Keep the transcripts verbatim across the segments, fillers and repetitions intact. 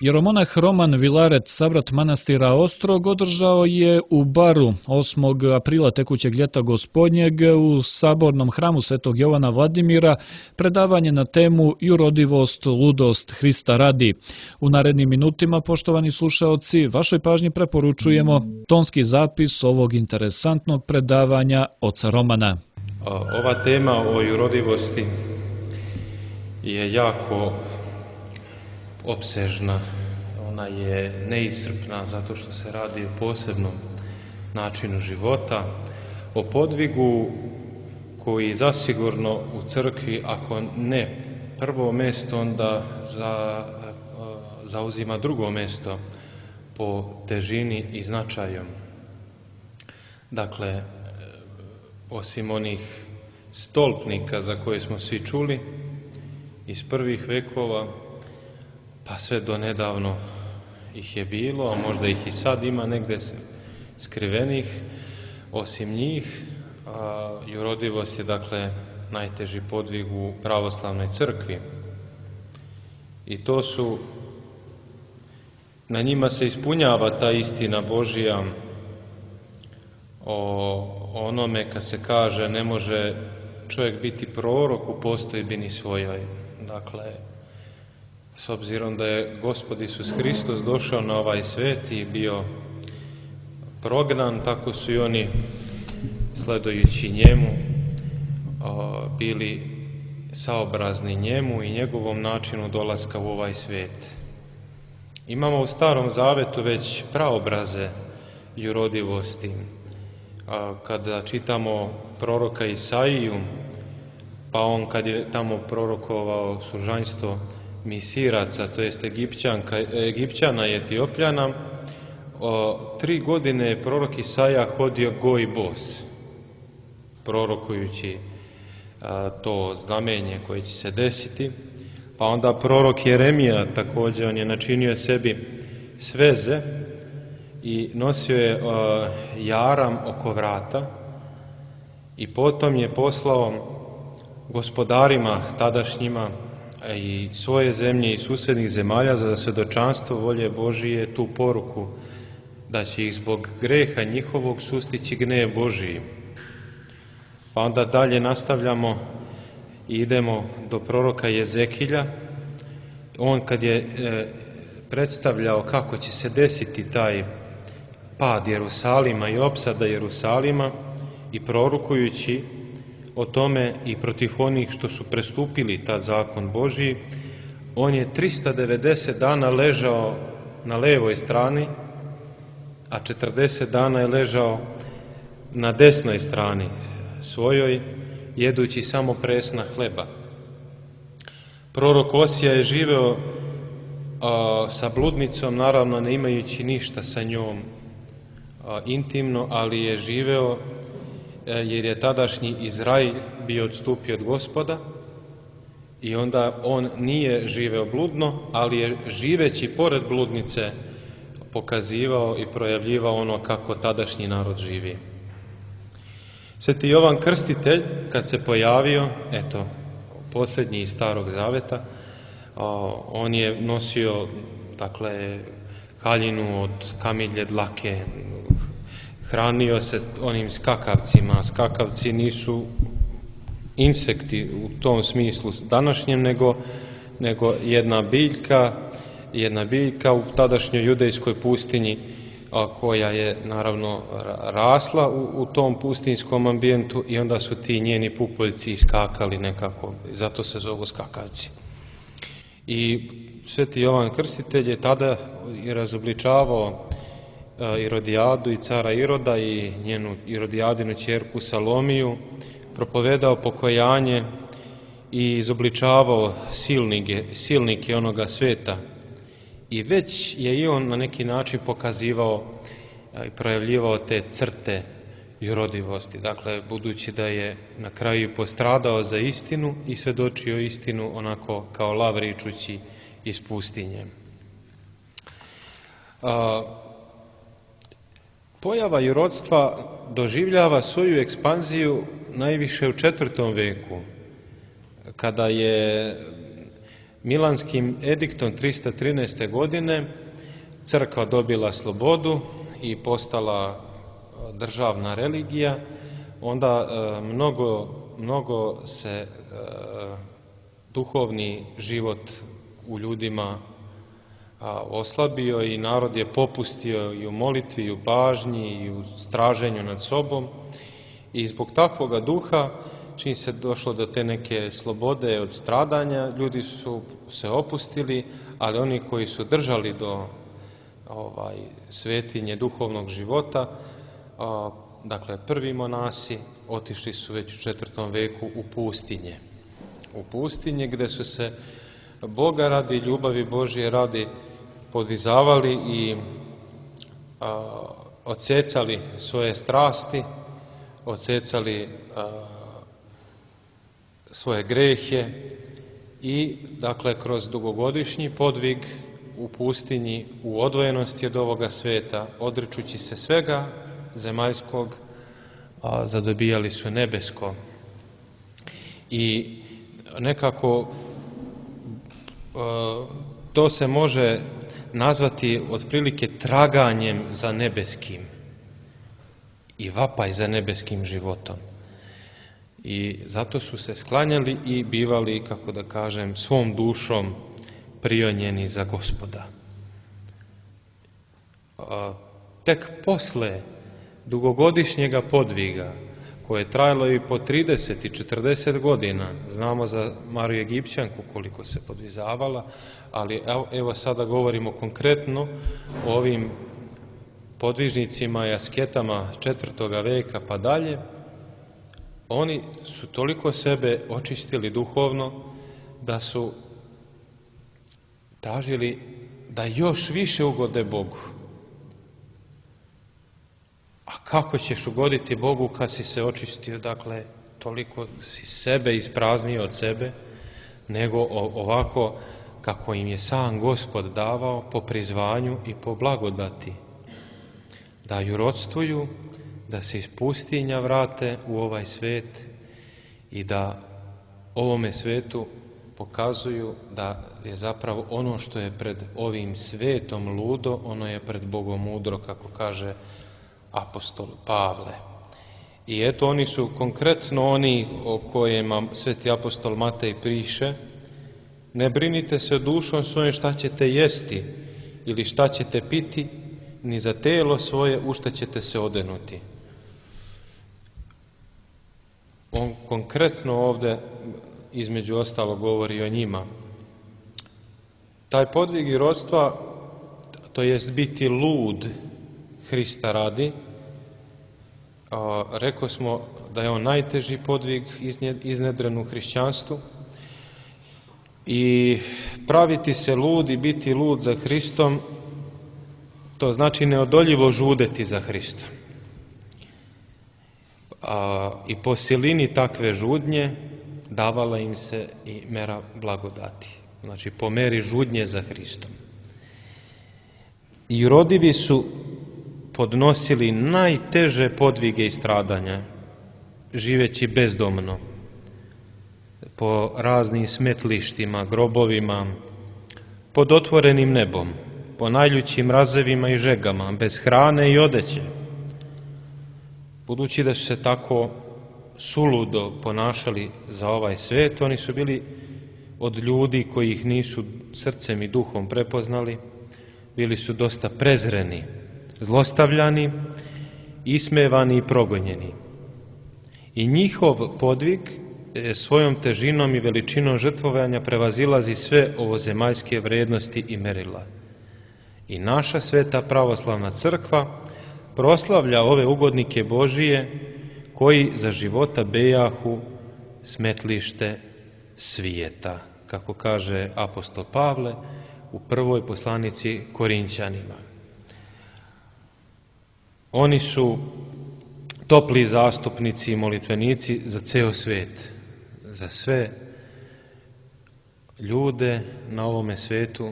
Jeromonah Roman Vilaret, savrat manastira Ostrog, održao je u Baru osmog aprila tekućeg ljeta gospodnjeg u sabornom hramu Svetog Jovana Vladimira predavanje na temu Jurodivost, ludost Hrista radi. U narednim minutima, poštovani slušaoci, vašoj pažnji preporučujemo tonski zapis ovog interesantnog predavanja oca Romana. Ova tema o jurodivosti je jako opsežna, ona je neiscrpna zato što se radi o posebnom načinu života, o podvigu koji zasigurno u crkvi, ako ne prvo mjesto, onda za, zauzima drugo mjesto po težini i značaju. Dakle, osim onih stolpnika za koje smo svi čuli iz prvih vekova, pa sve do nedavno ih je bilo, a možda ih i sad ima negdje skrivenih. Osim njih, a, jurodivost je dakle najteži podvig u pravoslavnoj crkvi. I to su, na njima se ispunjava ta istina Božija o onome kad se kaže ne može čovjek biti prorok u postojbini svojoj. Dakle, s obzirom da je Gospod Isus Hristos došao na ovaj svijet i bio prognan, tako su i oni, sledujući njemu, bili saobrazni njemu i njegovom načinu dolaska u ovaj svijet. Imamo u Starom Zavetu već praobraze jurodivosti. Kada čitamo proroka Isaiju, pa on kad je tamo prorokovao sužanjstvo Misiraca, to jest Egipćana i Etiopljana, o, tri godine je prorok Isaija hodio go i bos, prorokujući a, to znamenje koje će se desiti. Pa onda prorok Jeremija također, on je načinio sebi sveze i nosio je a, jaram oko vrata i potom je poslao gospodarima tadašnjima i svoje zemlje i susjednih zemalja za svjedočanstvo volje Božije tu poruku da će ih zbog greha njihovog sustići gnev Božiji. Pa onda dalje nastavljamo i idemo do proroka Jezekilja. On kad je e, predstavljao kako će se desiti taj pad Jerusalima i opsada Jerusalima i prorokujući o tome i protiv onih što su prestupili tad zakon Božji, on je trista devedeset dana ležao na levoj strani, a četrdeset dana je ležao na desnoj strani svojoj, jedući samo presna hleba. Prorok Osija je živeo a, sa bludnicom, naravno ne imajući ništa sa njom a, intimno, ali je živeo jer je tadašnji Izrael bio odstupio od Gospoda i onda on nije živeo bludno, ali je živeći pored bludnice pokazivao i projavljivao ono kako tadašnji narod živi. Sveti Jovan Krstitelj, kad se pojavio, eto, posljednji iz Starog Zaveta, on je nosio, dakle, haljinu od kamilje dlake, hranio se onim skakavcima. Skakavci nisu insekti u tom smislu današnjem, nego, nego jedna biljka, jedna biljka u tadašnjoj judejskoj pustinji, a, koja je naravno rasla u, u tom pustinskom ambijentu i onda su ti njeni pupoljci iskakali nekako, zato se zovu skakavci. I Sveti Jovan Krstitelj je tada i razobličavao Irodijadu i cara Iroda i njenu Irodijadinu ćerku Salomiju, propovedao pokajanje i izobličavao silnike, silnike onoga sveta. I već je i on na neki način pokazivao i projavljivao te crte jurodivosti. Dakle, budući da je na kraju postradao za istinu i svedočio istinu onako kao lav ričući iz pustinje. A, Pojava jurodstva doživljava svoju ekspanziju najviše u četvrtom veku, kada je Milanskim ediktom trista trinaeste. godine crkva dobila slobodu i postala državna religija, onda mnogo, mnogo se duhovni život u ljudima oslabio i narod je popustio i u molitvi, i u pažnji, i u straženju nad sobom. I zbog takvoga duha, čim se došlo do te neke slobode od stradanja, ljudi su se opustili, ali oni koji su držali do ovaj, svetinje duhovnog života, a, dakle prvi monasi, otišli su već u četvrtom veku u pustinje. U pustinje gde su se Boga radi, ljubavi Božje radi podvizavali i a, odsecali svoje strasti, odsecali a, svoje grehe i, dakle, kroz dugogodišnji podvig u pustinji, u odvojenosti od ovoga sveta, odričući se svega zemaljskog, a, zadobijali su nebesko. I nekako a, to se može nazvati otprilike traganjem za nebeskim i vapaj za nebeskim životom. I zato su se sklanjali i bivali, kako da kažem, svom dušom prionjeni za Gospoda. A, tek posle dugogodišnjega podviga, koje je trajalo i po trideset i četrdeset godina, znamo za Mariju Egipćanku koliko se podvizavala, ali evo, evo sada govorimo konkretno o ovim podvižnicima i asketama četvrtoga veka pa dalje. Oni su toliko sebe očistili duhovno da su tražili da još više ugode Bogu. A kako ćeš ugoditi Bogu kad si se očistio, dakle, toliko si sebe ispraznio od sebe, nego ovako kako im je sam Gospod davao po prizvanju i po blagodati. Da jurodstvuju, da se iz pustinja vrate u ovaj svet i da ovome svetu pokazuju da je zapravo ono što je pred ovim svetom ludo, ono je pred Bogom mudro, kako kaže apostol Pavle. I eto, oni su konkretno oni o kojima sveti apostol Matej piše: ne brinite se dušom svojom šta ćete jesti ili šta ćete piti, ni za telo svoje u šta ćete se odenuti. On konkretno ovde između ostalo govori o njima. Taj podvig jurodstva, to jest biti lud Hrista radi, a, rekao smo da je on najteži podvig iznedren u hrišćanstvu, i praviti se lud i biti lud za Hristom, to znači neodoljivo žudeti za Hristom. A, i po silini takve žudnje davala im se i mera blagodati. Znači, po meri žudnje za Hristom. I rodivi su podnosili najteže podvige i stradanja, živeći bezdomno, po raznim smetlištima, grobovima, pod otvorenim nebom, po najljućim razevima i žegama, bez hrane i odeće. Budući da su se tako suludo ponašali za ovaj svet, oni su bili od ljudi koji ih nisu srcem i duhom prepoznali, bili su dosta prezreni, zlostavljani, ismevani i progonjeni. I njihov podvig svojom težinom i veličinom žrtvovanja prevazilazi sve ovozemaljske vrednosti i merila. I naša sveta pravoslavna crkva proslavlja ove ugodnike Božije koji za života bejahu smetlište svijeta, kako kaže apostol Pavle u prvoj poslanici Korinćanima. Oni su topli zastupnici i molitvenici za ceo svet, za sve ljude na ovome svetu,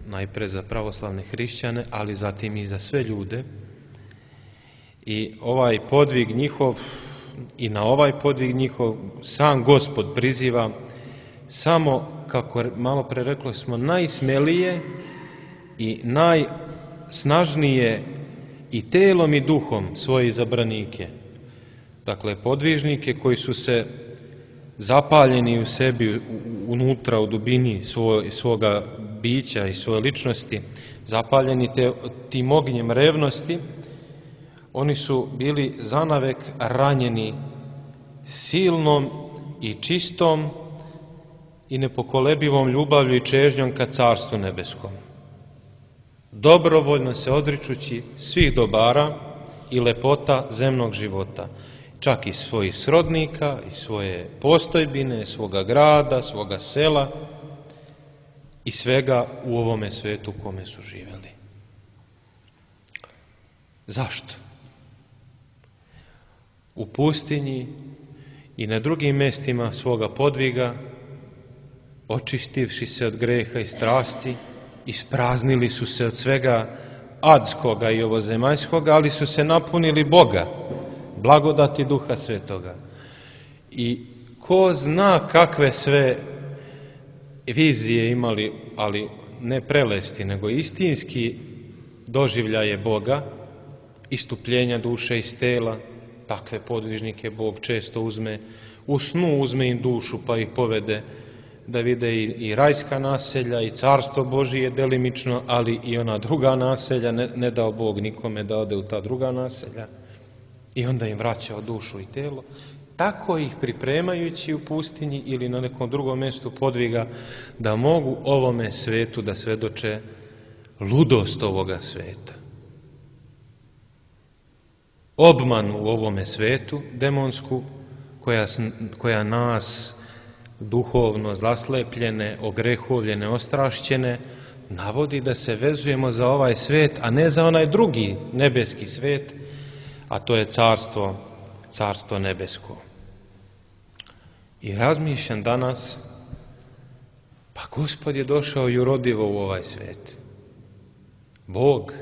najpre za pravoslavne hrišćane, ali zatim i za sve ljude. I ovaj podvig njihov, i na ovaj podvig njihov sam Gospod priziva samo kako malo pre reklo smo, najsmelije i najsnažnije i telom i duhom svoje izabranike. Dakle, podvižnike koji su se zapaljeni u sebi, unutra, u dubini svoj, svoga bića i svoje ličnosti, zapaljeni te, tim ognjem revnosti, oni su bili zanavek ranjeni silnom i čistom i nepokolebivom ljubavlju i čežnjom ka Carstvu nebeskom. Dobrovoljno se odričući svih dobara i lepota zemnog života, čak i svojih srodnika, i svoje postojbine, svoga grada, svoga sela i svega u ovome svetu u kome su živeli. Zašto? U pustinji i na drugim mestima svoga podviga, očistivši se od greha i strasti, ispraznili su se od svega adskoga i ovozemaljskoga, ali su se napunili Boga, blagodati Duha Svetoga. I ko zna kakve sve vizije imali, ali ne prelesti, nego istinski doživljaje Boga, istupljenja duše iz tela. Takve podvižnike Bog često uzme, u snu uzme im dušu pa ih povede da vide i, i rajska naselja i Carstvo Božije delimično, ali i ona druga naselja, ne, ne dao Bog nikome da ode u ta druga naselja, i onda im vraćao dušu i telo. Tako ih pripremajući u pustinji ili na nekom drugom mjestu podviga da mogu ovome svetu da svedoče ludost ovoga sveta. Obmanu u ovome svetu, demonsku, koja, koja nas duhovno zaslepljene, ogrehovljene, ostrašćene, navodi da se vezujemo za ovaj svet, a ne za onaj drugi nebeski svet, a to je carstvo, carstvo nebesko. I razmišljam danas, pa Gospod je došao jurodivo u ovaj svet. Bog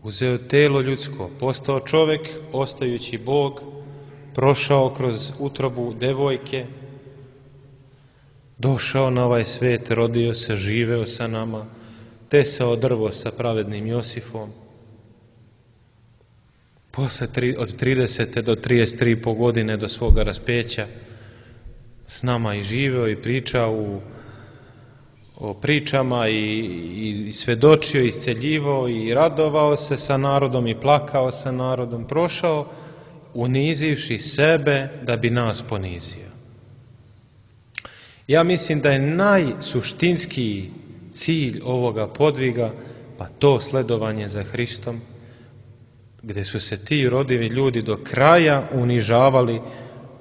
uzeo telo ljudsko, postao čovek, ostajući Bog, prošao kroz utrobu devojke, došao na ovaj svet, rodio se, živeo sa nama, tesao drvo sa pravednim Josifom. Posle tri, od tridesete do trideset tri i po godine do svoga raspeća s nama i živeo i pričao u, o pričama i, i svedočio, isceljivao i radovao se sa narodom i plakao sa narodom, prošao unizivši sebe da bi nas ponizio. Ja mislim da je najsuštinskiji cilj ovoga podviga pa to sledovanje za Hristom, gde su se ti rodivi ljudi do kraja unižavali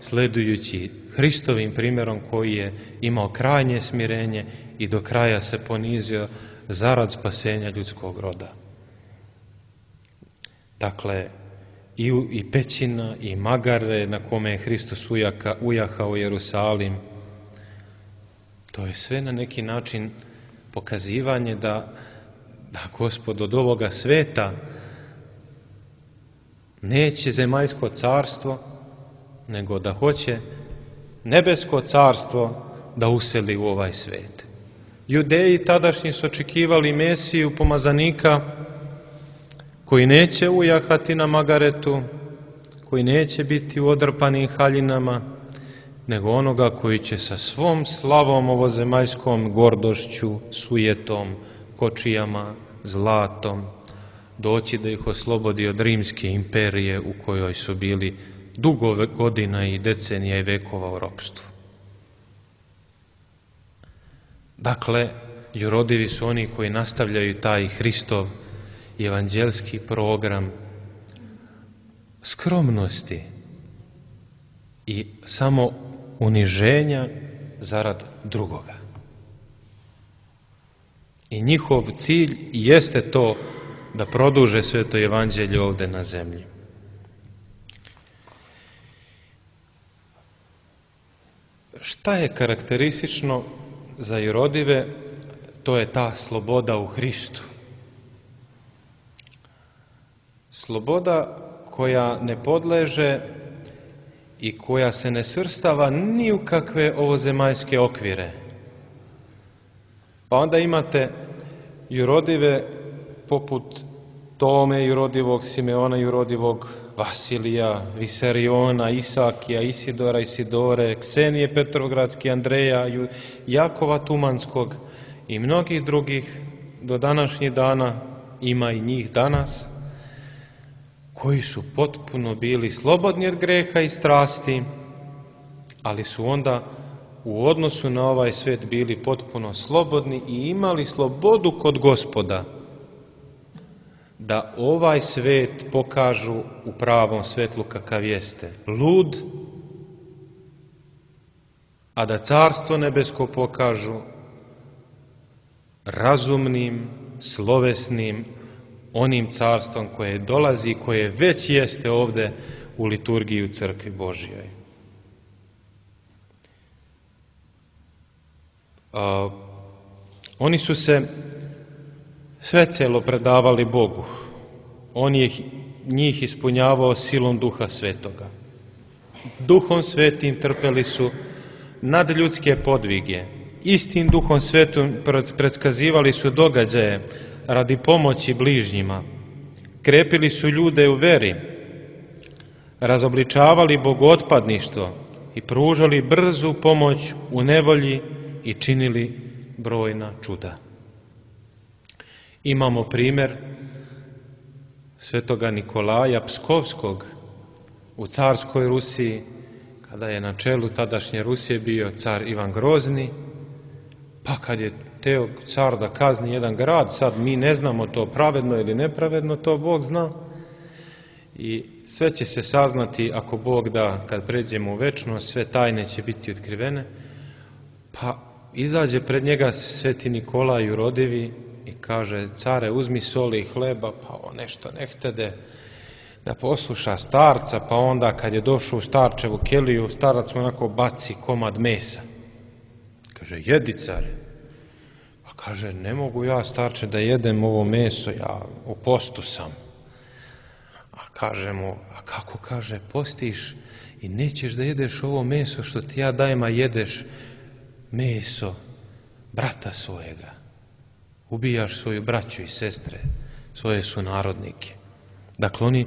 sledujući Hristovim primjerom koji je imao krajnje smirenje i do kraja se ponizio zarad spasenja ljudskog roda. Dakle, i, i pećina i magare na kome je Hristos ujaka, ujahao Jerusalim, to je sve na neki način pokazivanje da, da Gospod od ovoga sveta neće zemaljsko carstvo, nego da hoće nebesko carstvo da useli u ovaj svet. Judeji tadašnji su očekivali Mesiju, pomazanika, koji neće ujahati na magaretu, koji neće biti u odrpanim haljinama, nego onoga koji će sa svom slavom ovozemaljskom gordošću, sujetom, kočijama, zlatom, doći da ih oslobodi od rimske imperije u kojoj su bili dugo godina i decenija i vekova u ropstvu. Dakle, jurodivi su oni koji nastavljaju taj Hristov evanđelski program skromnosti i samo uniženja zarad drugoga. I njihov cilj jeste to da produže sveto evanđelje ovde na zemlji. Šta je karakteristično za jurodive? To je ta sloboda u Hristu. Sloboda koja ne podleže i koja se ne svrstava ni u kakve ovozemaljske okvire, Pa onda imate jurodive poput Tome, jurodivog Simeona, jurodivog Vasilija, Visariona, Isakija, Isidora, Isidore, Ksenije Petrovgradske, Andreja, Jakova Tumanskog i mnogih drugih do današnjih dana, ima i njih danas, koji su potpuno bili slobodni od greha i strasti, ali su onda u odnosu na ovaj svet bili potpuno slobodni i imali slobodu kod Gospoda, da ovaj svet pokažu u pravom svetlu kakav jeste, lud, a da carstvo nebesko pokažu razumnim, slovesnim, onim carstvom koje dolazi, koje već jeste ovde u liturgiji u crkvi Božjoj. A, oni su se svecelo predavali Bogu. On je njih ispunjavao silom Duha Svetoga. Duhom Svetim trpeli su nadljudske podvige. Istim Duhom Svetom predskazivali su događaje radi pomoći bližnjima. Krepili su ljude u veri, razobličavali bogotpadništvo i pružali brzu pomoć u nevolji i činili brojna čuda. Imamo primjer svetoga Nikolaja Pskovskog u carskoj Rusiji, kada je na čelu tadašnje Rusije bio car Ivan Grozni, pa kad je teo car da kazni jedan grad, sad mi ne znamo to pravedno ili nepravedno, to Bog zna, i sve će se saznati ako Bog da, kad pređemo u večnost, sve tajne će biti otkrivene, pa izađe pred njega sveti Nikolaj jurodivi i kaže: care, uzmi soli i hleba, pa on nešto ne htede da posluša starca, pa onda kad je došao u starčevu keliju, starac mu onako baci komad mesa. Kaže: jedi, care. Pa kaže: ne mogu ja, starče, da jedem ovo meso, ja u postu sam. A kaže mu: a kako, kaže, postiš i nećeš da jedeš ovo meso što ti ja dajem, a jedeš meso brata svojega. Ubijaš svoju braću i sestre, svoje sunarodnike. Dakle, oni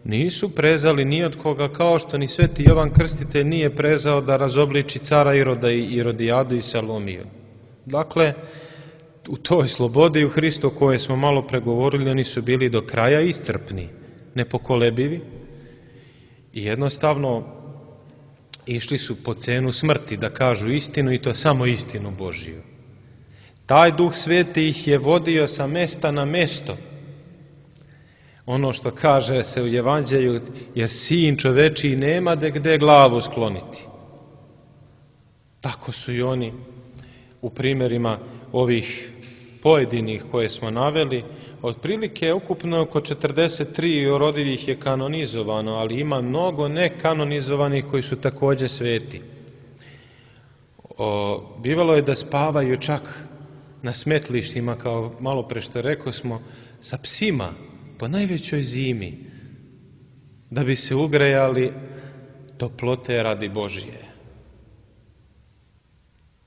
nisu prezali ni od koga, kao što ni sveti Jovan Krstitelj nije prezao da razobliči cara Iroda i Irodijadu i Salomiju. Dakle, u toj slobodi u Hristu o kojoj smo malo pregovorili, oni su bili do kraja iscrpni, nepokolebivi i jednostavno išli su po cenu smrti da kažu istinu, i to samo istinu Božiju. Taj Duh Sveti ih je vodio sa mesta na mesto. Ono što kaže se u Evanđelju, jer sin čovečiji nema de gde glavu skloniti. Tako su i oni u primjerima ovih pojedinih koje smo naveli. Otprilike ukupno oko četrdeset tri jurodivih je kanonizovano, ali ima mnogo nekanonizovanih koji su također sveti. O, bivalo je da spavaju čak na smetlištima, kao malo pre što rekao smo, sa psima po najvećoj zimi, da bi se ugrejali toplote radi Božije.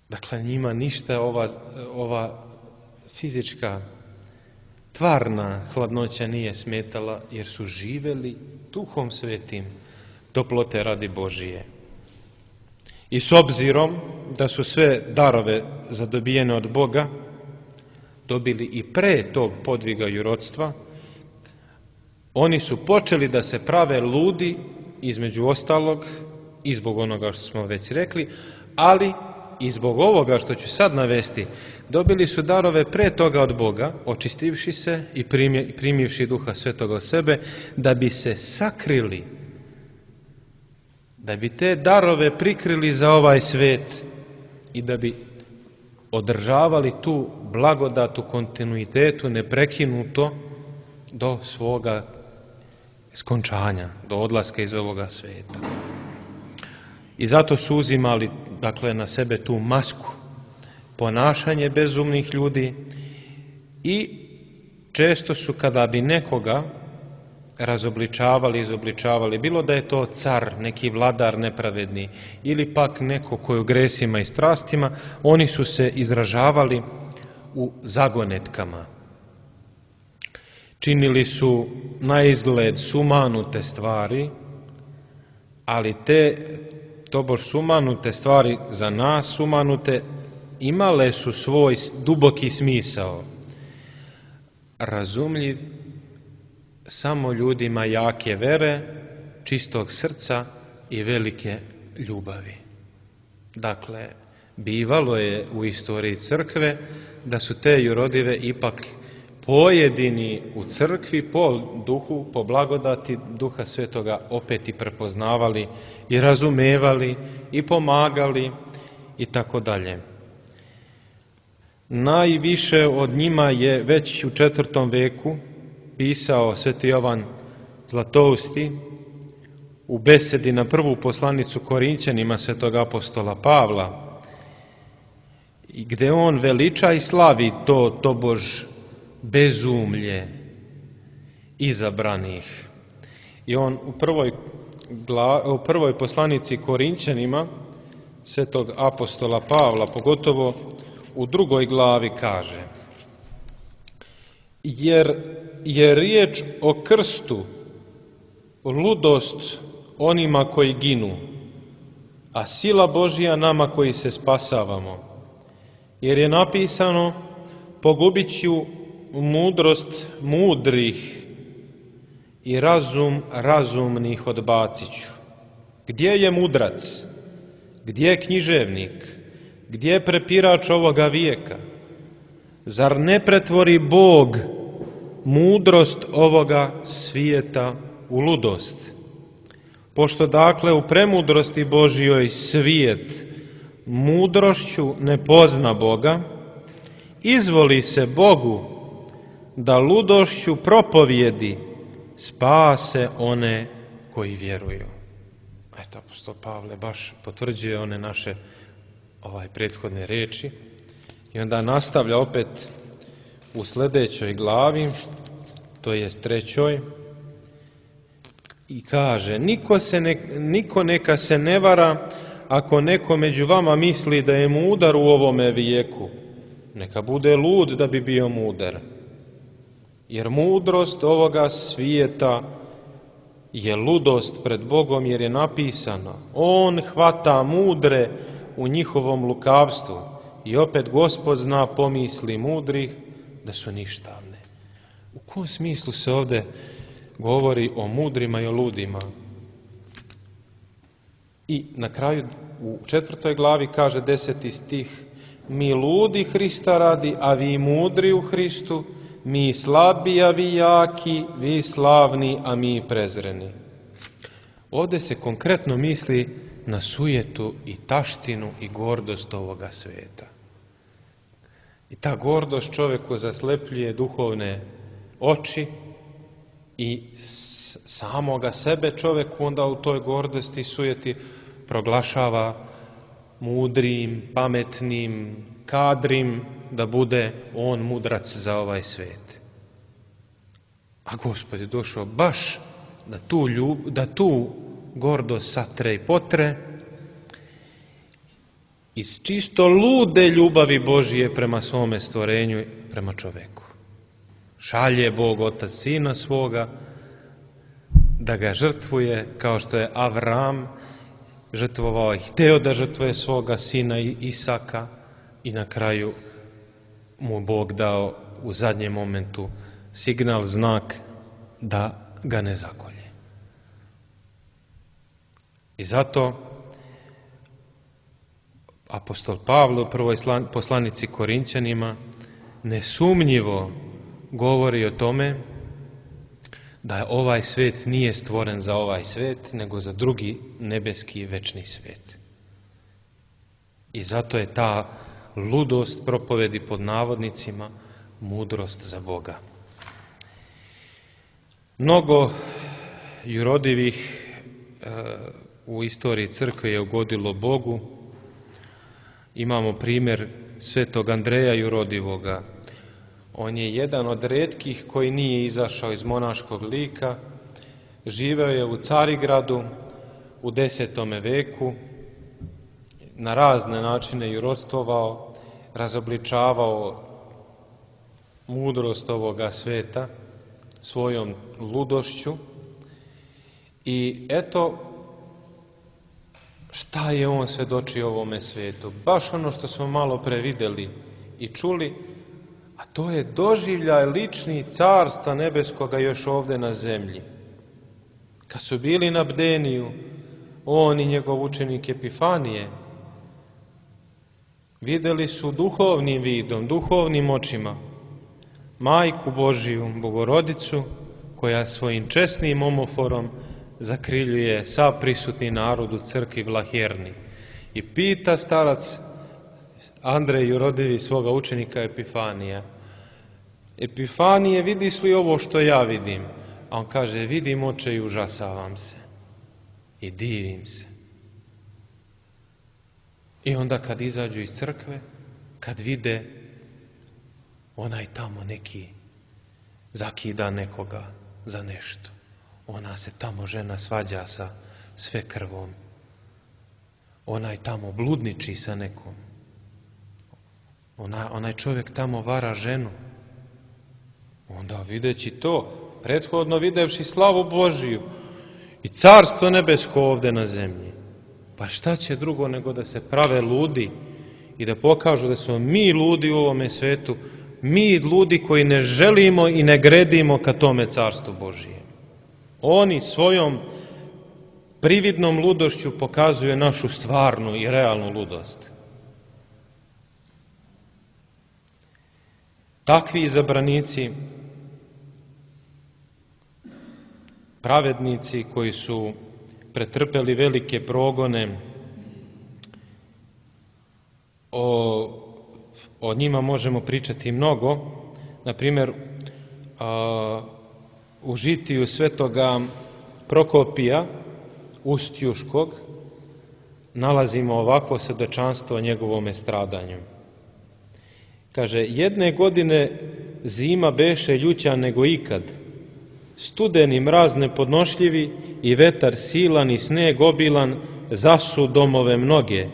Dakle, njima ništa ova, ova fizička, tvarna hladnoća nije smetala, jer su živeli Duhom Svetim toplote radi Božije. I s obzirom da su sve darove zadobijene od Boga dobili i pre tog podviga jurodstva, oni su počeli da se prave ludi, između ostalog i zbog onoga što smo već rekli, ali i zbog ovoga što ću sad navesti. Dobili su darove pre toga od Boga, očistivši se i primivši Duha Svetoga u sebe, da bi se sakrili, da bi te darove prikrili za ovaj svet i da bi održavali tu blagodat u kontinuitetu, neprekinuto do svoga skončanja, do odlaska iz ovoga sveta. I zato su uzimali, dakle, na sebe tu masku, ponašanje bezumnih ljudi, i često su, kada bi nekoga razobličavali, izobličavali, bilo da je to car, neki vladar nepravedni, ili pak neko koji u gresima i strastima, oni su se izražavali u zagonetkama. Činili su na izgled sumanute stvari, ali te tobož sumanute stvari za nas sumanute imale su svoj duboki smisao, razumljiv samo ljudima jake vere, čistog srca i velike ljubavi. Dakle, bivalo je u istoriji crkve da su te jurodive ipak pojedini u crkvi po duhu, po blagodati Duha Svetoga opet i prepoznavali i razumevali i pomagali i tako dalje. Najviše od njima je već u četvrtom veku pisao sveti Jovan Zlatousti u besedi na prvu poslanicu Korinćanima svetog apostola Pavla, gde on veliča i slavi to tobož bezumlje izabranih. I on u prvoj, u prvoj poslanici Korinćanima svetog apostola Pavla, pogotovo u drugoj glavi kaže: jer je riječ o krstu ludost onima koji ginu, a sila Božija nama koji se spasavamo. Jer je napisano: pogubit ću mudrost mudrih i razum razumnih odbacit ću. Gdje je mudrac? Gdje je književnik? Gdje je prepirač ovoga vijeka? Zar ne pretvori Bog mudrost ovoga svijeta u ludost? Pošto dakle u premudrosti Božjoj svijet mudrošću ne pozna Boga, izvoli se Bogu da ludošću propovjedi spase one koji vjeruju. Eto, apostol Pavle baš potvrđuje one naše ovaj prethodne reči i onda nastavlja opet u sljedećoj glavi, to jest trećoj, i kaže: niko, se ne, niko neka se ne vara ako neko među vama misli da je mudar u ovome vijeku, neka bude lud da bi bio mudar. Jer mudrost ovoga svijeta je ludost pred Bogom, jer je napisano: on hvata mudre u njihovom lukavstvu. I opet Gospod zna pomisli mudrih da su ništavne. U kom smislu se ovdje govori o mudrima i o ludima? I na kraju u četvrtoj glavi kaže deseti stih: mi ludi Hrista radi, a vi mudri u Hristu, mi slabi, a vi jaki, vi slavni, a mi prezreni. Ovdje se konkretno misli na sujetu i taštinu i gordost ovoga svijeta. I ta gordost čovjeku zaslepljuje duhovne oči i samoga sebe čovjeku onda u toj gordosti i sujeti proglašava mudrim, pametnim, kadrim, da bude on mudrac za ovaj svijet. A Gospod je došao baš da tu, ljub, da tu gordost satre i potre iz čisto lude ljubavi Božije prema svome stvorenju i prema čovjeku. Šalje Bog Otac Sina svoga da ga žrtvuje, kao što je Avram žrtvovao i hteo da žrtvuje svoga sina Isaka, i na kraju mu Bog dao u zadnjem momentu signal, znak da ga ne zakolje. I zato apostol Pavle u prvoj poslanici Korinćanima nesumnjivo govori o tome da ovaj svijet nije stvoren za ovaj svijet, nego za drugi nebeski večni svijet. I zato je ta ludost propovedi pod navodnicima mudrost za Boga. Mnogo jurodivih e, u istoriji crkve je ugodilo Bogu. Imamo primjer svetog Andreja Jurodivoga. On je jedan od retkih koji nije izašao iz monaškog lika. Živeo je u Carigradu u desetome veku, na razne načine jurodstvovao, razobličavao mudrost ovoga sveta svojom ludošću i eto šta je on svedočio ovome svetu. Baš ono što smo malo pre videli i čuli, a to je doživljaj lični carstva nebeskoga još ovde na zemlji. Kad su bili na bdeniju, on i njegov učenik Epifanije, videli su duhovnim vidom, duhovnim očima, Majku Božiju, Bogorodicu, koja svojim česnim omoforom zakriljuje sav prisutni narod u crkvi Vlaherni. I pita starac Andrej Jurodivi svoga učenika Epifanija: Epifanije, vidiš li ovo što ja vidim? A on kaže: vidim, oče, i užasavam se i divim se. I onda kad izađu iz crkve, kad vide onaj tamo neki zakida nekoga za nešto, ona se tamo žena svađa sa svekrvom, onaj tamo bludniči sa nekom, Ona, onaj čovjek tamo vara ženu, onda videći to, prethodno videvši slavu Božiju i carstvo nebesko ovde na zemlji, pa šta će drugo nego da se prave ludi i da pokažu da smo mi ludi u ovome svetu, mi ludi koji ne želimo i ne gredimo ka tome carstvu Božije. Oni svojom prividnom ludošću pokazuju našu stvarnu i realnu ludost. Takvi izabranici, pravednici koji su pretrpeli velike progone, o, o njima možemo pričati mnogo. Na primjer, u žitiju svetoga Prokopija Ustjuškog nalazimo ovakvo svedočanstvo o njegovome stradanju. Kaže: jedne godine zima beše ljuća nego ikad, studeni mraz nepodnošljivi i vetar silan i sneg obilan zasu domove mnoge.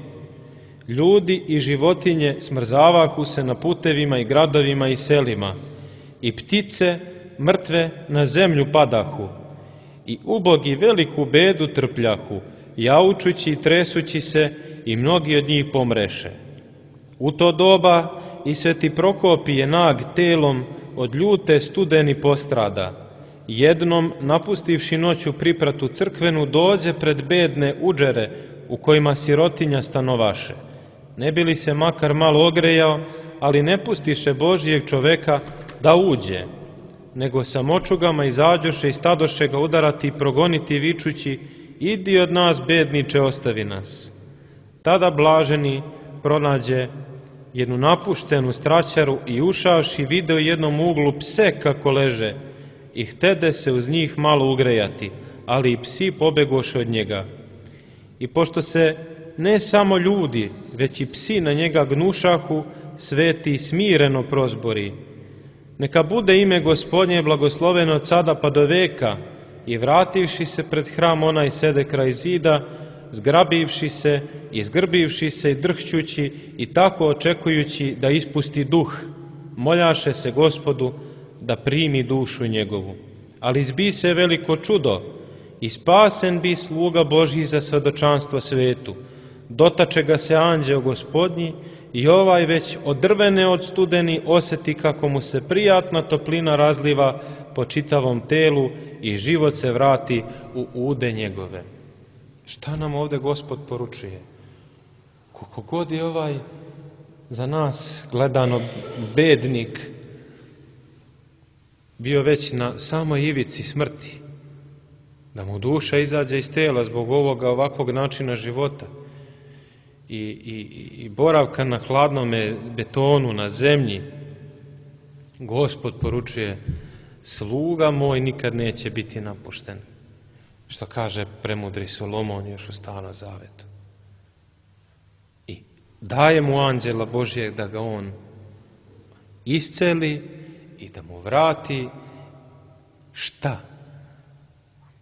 Ljudi i životinje smrzavahu se na putevima i gradovima i selima, i ptice mrtve na zemlju padahu, i ubogi veliku bedu trpljahu, jaučući i tresući se, i mnogi od njih pomreše. U to doba i sveti Prokopije nag telom od ljute studeni postrada. Jednom, napustivši noću pripratu crkvenu, dođe pred bedne uđere u kojima sirotinja stanovaše. Ne bi li se makar malo ogrejao, ali ne pustiše Božijeg čoveka da uđe, nego sa močugama izađoše i stadoše ga udarati i progoniti vičući: idi od nas, bedniče, ostavi nas. Tada blaženi pronađe jednu napuštenu straćaru i ušavši video u jednom uglu pse kako leže i htede se uz njih malo ugrejati, ali i psi pobegoše od njega. I pošto se ne samo ljudi, već i psi na njega gnušahu, sveti smireno prozbori: neka bude ime Gospodnje blagosloveno od sada pa do veka. I vrativši se pred hram, onaj sede kraj zida, zgrabivši se i zgrbivši se i drhćući i tako očekujući da ispusti duh, moljaše se Gospodu da primi dušu njegovu. Ali zbi se veliko čudo i spasen bi sluga Božji za svedočanstvo svetu. Dotače ga se anđeo Gospodnji i ovaj već odrvene od studeni oseti kako mu se prijatna toplina razliva po čitavom telu i život se vrati u ude njegove. Šta nam ovde Gospod poručuje? Koliko god je ovaj za nas gledano bednik bio već na samoj ivici smrti, da mu duša izađe iz tela zbog ovoga ovakvog načina života i, i, i boravka na hladnome betonu, na zemlji, Gospod poručuje: sluga moj nikad neće biti napušten. Što kaže premudri Solomon još u Starom zavetu. I daje mu anđela Božijeg da ga on isceli i da mu vrati šta?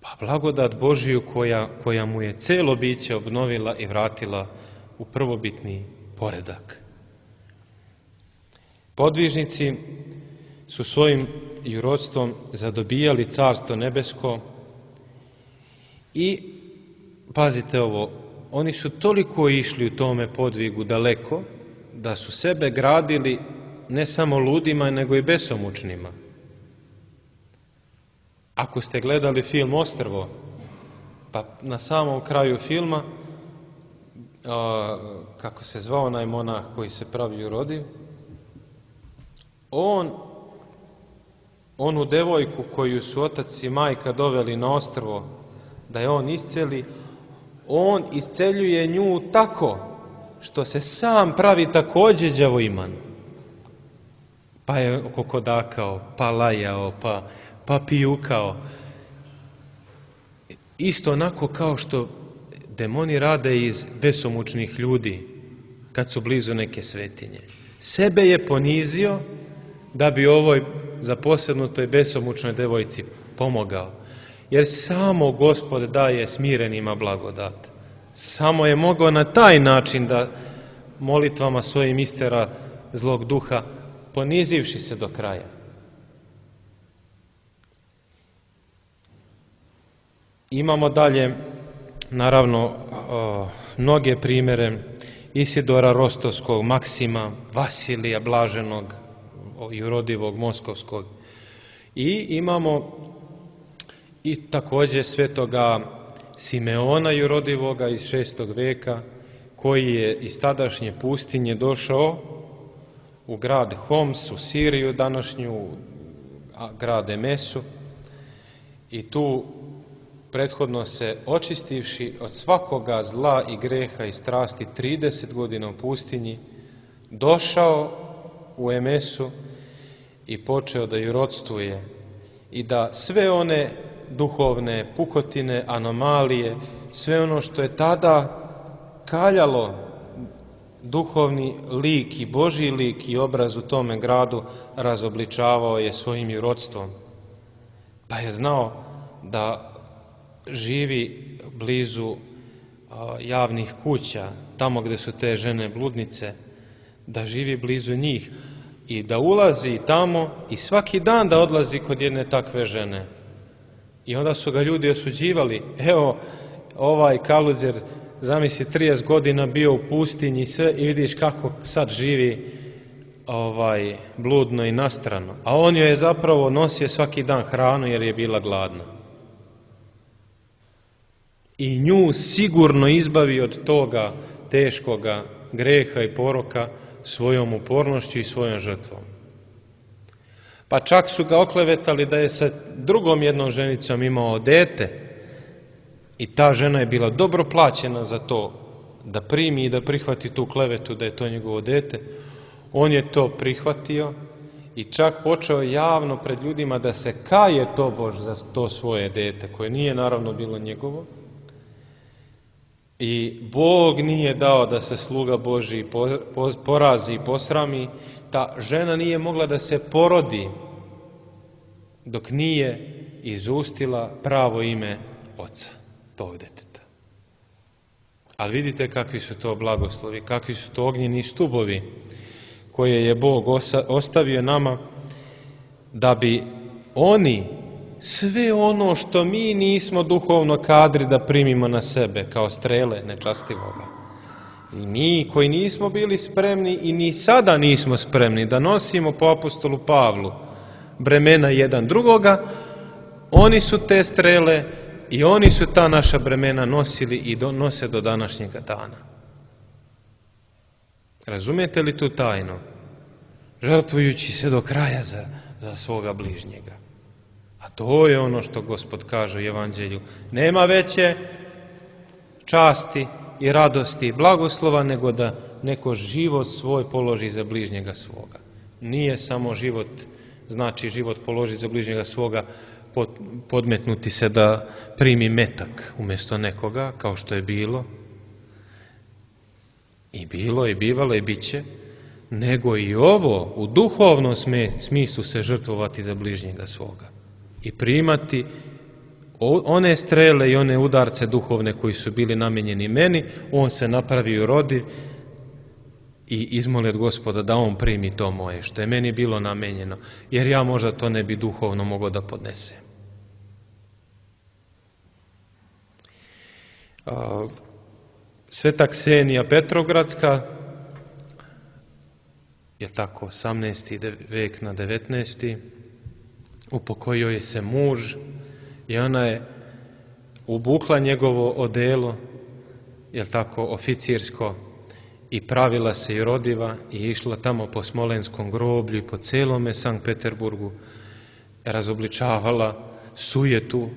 Pa blagodat Božiju koja, koja mu je celo biće obnovila i vratila u prvobitni poredak. Podvižnici su svojim jurodstvom zadobijali carstvo nebesko i, pazite ovo, oni su toliko išli u tome podvigu daleko da su sebe gradili ne samo ludima, nego i besomučnima. Ako ste gledali film Ostrvo, pa na samom kraju filma, a, kako se zvao onaj monah koji se pravi urodiv, on, onu devojku koju su otac i majka doveli na ostrvo, da je on isceli, on isceljuje nju tako što se sam pravi također đavoiman. Pa je kokodakao, pa lajao, pa, pa pijukao. Isto onako kao što demoni rade iz besomučnih ljudi kad su blizu neke svetinje. Sebe je ponizio da bi ovoj zaposjednutoj besomučnoj devojci pomogao. Jer samo Gospod daje smirenima blagodat. Samo je mogao na taj način da molitvama svojim istera zlog duha, ponizivši se do kraja. Imamo dalje, naravno, o, mnoge primjere Isidora Rostovskog, Maksima, Vasilija Blaženog, jurodivog Moskovskog. I imamo i također svetoga Simeona jurodivoga iz šestog veka, koji je iz tadašnje pustinje došao u grad Homs, u Siriju današnju, grad Emesu, i tu prethodno se očistivši od svakoga zla i greha i strasti trideset godina u pustinji, došao u Emesu i počeo da jurodstuje i da sve one duhovne pukotine, anomalije, sve ono što je tada kaljalo duhovni lik i Božji lik i obraz u tome gradu, razobličavao je svojim jurodstvom. Pa je znao da živi blizu a, javnih kuća, tamo gdje su te žene bludnice, da živi blizu njih i da ulazi tamo i svaki dan da odlazi kod jedne takve žene. I onda su ga ljudi osuđivali. Evo, ovaj Kaluđer, zamisli, trideset godina bio u pustinji i sve, i vidiš kako sad živi ovaj bludno i nastrano. A on joj je zapravo nosio svaki dan hranu jer je bila gladna. I nju sigurno izbavi od toga teškoga greha i poroka svojom upornošću i svojom žrtvom. Pa čak su ga oklevetali da je sa drugom jednom ženicom imao dete i ta žena je bila dobro plaćena za to da primi i da prihvati tu klevetu da je to njegovo dete. On je to prihvatio i čak počeo javno pred ljudima da se kaje tobož za to svoje dete, koje nije naravno bilo njegovo. I Bog nije dao da se sluga Božji porazi i posrami. Ta žena nije mogla da se porodi dok nije izustila pravo ime oca tog deteta. Ali vidite kakvi su to blagoslovi, kakvi su to ognjeni stubovi koje je Bog ostavio nama da bi oni sve ono što mi nismo duhovno kadri da primimo na sebe kao strele nečastivoga. I mi koji nismo bili spremni i ni sada nismo spremni da nosimo po apostolu Pavlu bremena jedan drugoga, oni su te strele i oni su ta naša bremena nosili i nose do današnjega dana. Razumijete li tu tajnu? Žrtvujući se do kraja za, za svoga bližnjega. A to je ono što Gospod kaže u Evanđelju. Nema veće časti i radosti i blagoslova nego da neko život svoj položi za bližnjega svoga. Nije samo život, znači život položi za bližnjega svoga, podmetnuti se da primi metak umjesto nekoga, kao što je bilo. I bilo, i bivalo, i bit će. Nego i ovo, u duhovnom smislu se žrtvovati za bližnjega svoga. I primati one strele i one udarce duhovne koji su bili namenjeni meni, on se napravi urodiv i izmoli od Gospoda da on primi to moje, što je meni bilo namenjeno, jer ja možda to ne bi duhovno mogao da podnesem. Sveta Ksenija Petrogradska, je tako, osamnaesti vek na devetnaesti upokojio je se muž i ona je ubukla njegovo odelo, je tako, oficirsko, i pravila se i rodiva i išla tamo po Smolenskom groblju i po celome Sankt Peterburgu, razobličavala sujetu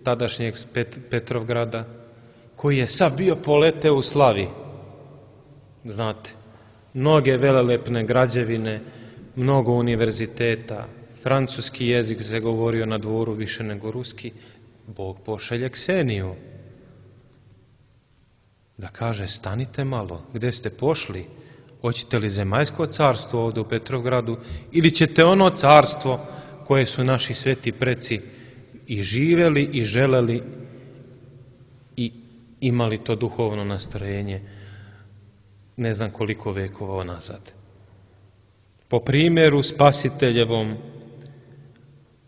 tadašnjeg Pet- Petrovgrada, koji je sad bio poleteo u slavi. Znate, mnoge velelepne građevine, mnogo univerziteta, francuski jezik se govorio na dvoru više nego ruski. Bog pošalje Kseniju da kaže: stanite malo, gde ste pošli? Hoćete li zemaljsko carstvo ovde u Petrovgradu ili ćete ono carstvo koje su naši sveti preci i živeli i želeli i imali to duhovno nastrojenje ne znam koliko vekova nazad. Po primjeru Spasiteljevom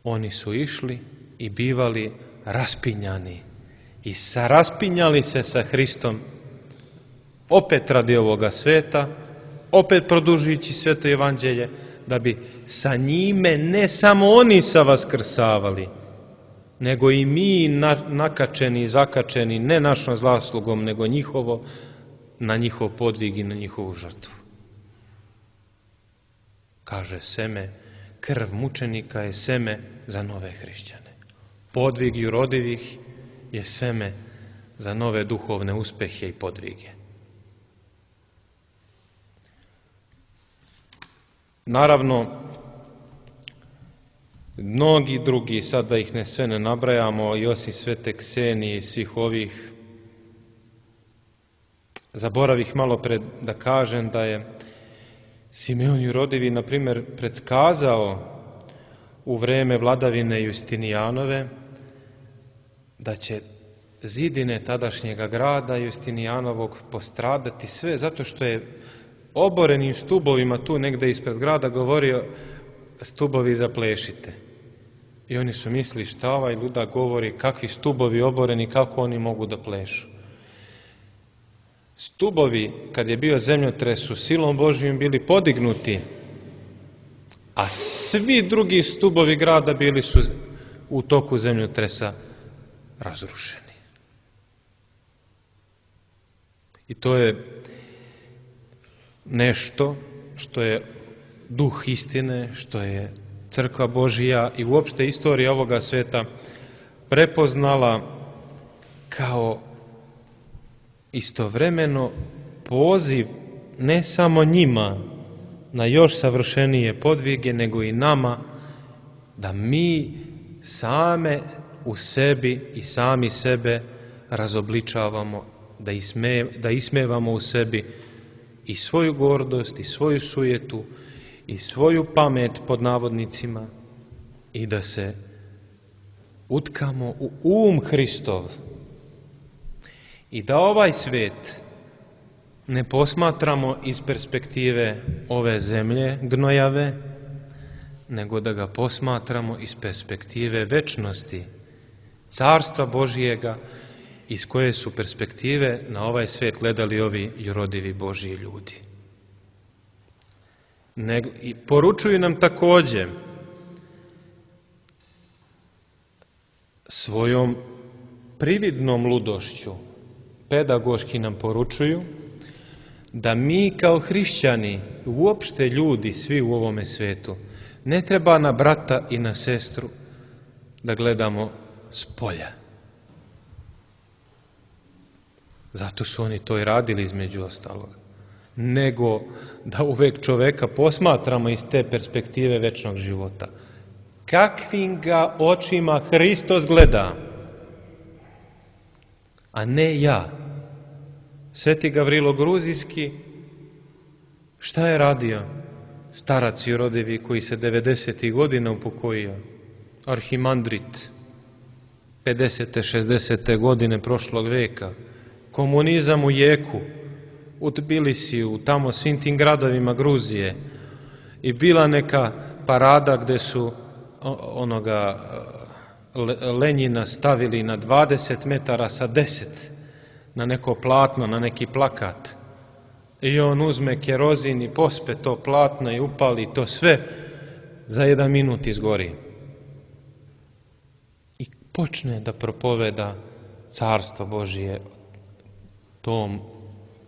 oni su išli i bivali raspinjani i saraspinjali se sa Hristom, opet radi ovoga sveta, opet produžujući sveto evanđelje, da bi sa njime ne samo oni savaskrsavali, nego i mi nakačeni i zakačeni, ne našom zaslugom, nego njihovo, na njihov podvig i na njihovu žrtvu. Kaže seme, krv mučenika je seme za nove hrišćane. Podvig jurodivih je seme za nove duhovne uspehe i podvige. Naravno, mnogi drugi, sad da ih ne sve ne nabrajamo, i osim svete Ksenije i svih ovih, zaboravih malo pred da kažem da je Simeon Jurodivi, na primjer, predskazao u vreme vladavine Justinijanove da će zidine tadašnjega grada Justinijanovog postradati sve, zato što je oborenim stubovima tu negde ispred grada govorio: stubovi zaplešite. I oni su mislili: šta ovaj ludak govori, kakvi stubovi oboreni, kako oni mogu da plešu? Stubovi, kad je bio zemljotres, su silom Božijom bili podignuti, a svi drugi stubovi grada bili su u toku zemljotresa razrušeni. I to je nešto što je duh istine, što je crkva Božija i uopšte istorija ovoga sveta prepoznala kao istovremeno poziv ne samo njima na još savršenije podvige, nego i nama da mi same u sebi i sami sebe razobličavamo, da, isme, da ismevamo u sebi i svoju gordost, i svoju sujetu, i svoju pamet pod navodnicima, i da se utkamo u um Hristov i da ovaj svet ne posmatramo iz perspektive ove zemlje gnojave, nego da ga posmatramo iz perspektive večnosti, carstva Božijega, iz koje su perspektive na ovaj svet gledali ovi jurodivi Božiji ljudi. Ne, i poručuju nam takođe svojom prividnom ludošću, pedagoški nam poručuju da mi kao hrišćani, uopšte ljudi svi u ovome svetu, ne treba na brata i na sestru da gledamo s polja. Zato su oni to i radili između ostalog. Nego da uvek čoveka posmatramo iz te perspektive večnog života. Kakvim ga očima Hristos gleda, a ne ja. Sveti Gavrilo Gruzijski, šta je radio? Starac Jurodivi koji se devedesetih godina upokojio, arhimandrit, pedesete, šezdesete godine prošlog veka, komunizam u jeku, u Tbilisiju, tamo svim tim gradovima Gruzije i bila neka parada gdje su onoga Lenjina stavili na dvadeset metara sa deset na neko platno, na neki plakat. I on uzme kerozin i pospe to platno i upali to sve, za jedan minut izgori. I počne da propoveda carstvo Božije tom